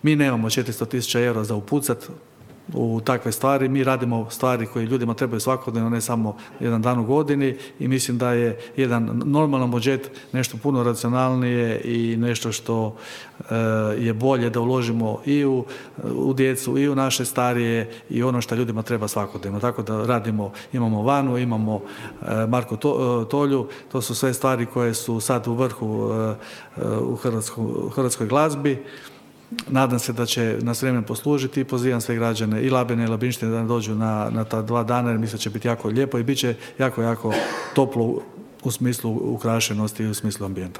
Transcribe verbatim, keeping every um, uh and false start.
Mi nemamo četiristo tisuća eura za upucat u takve stvari, mi radimo stvari koje ljudima trebaju svakodnevno, ne samo jedan dan u godini i mislim da je jedan normalan budžet nešto puno racionalnije i nešto što e, je bolje da uložimo i u, u djecu i u naše starije i ono što ljudima treba svakodnevno. Tako da radimo, imamo Vanu, imamo e, Marko to, Tolju, to su sve stvari koje su sad u vrhu e, u hrvatskoj, hrvatskoj glazbi. Nadam se da će nas vrijeme poslužiti i pozivam sve građane i Labina i Labinštine da dođu na, na ta dva dana jer mislim da će biti jako lijepo i bit će jako, jako toplo u smislu ukrašenosti i u smislu ambijenta.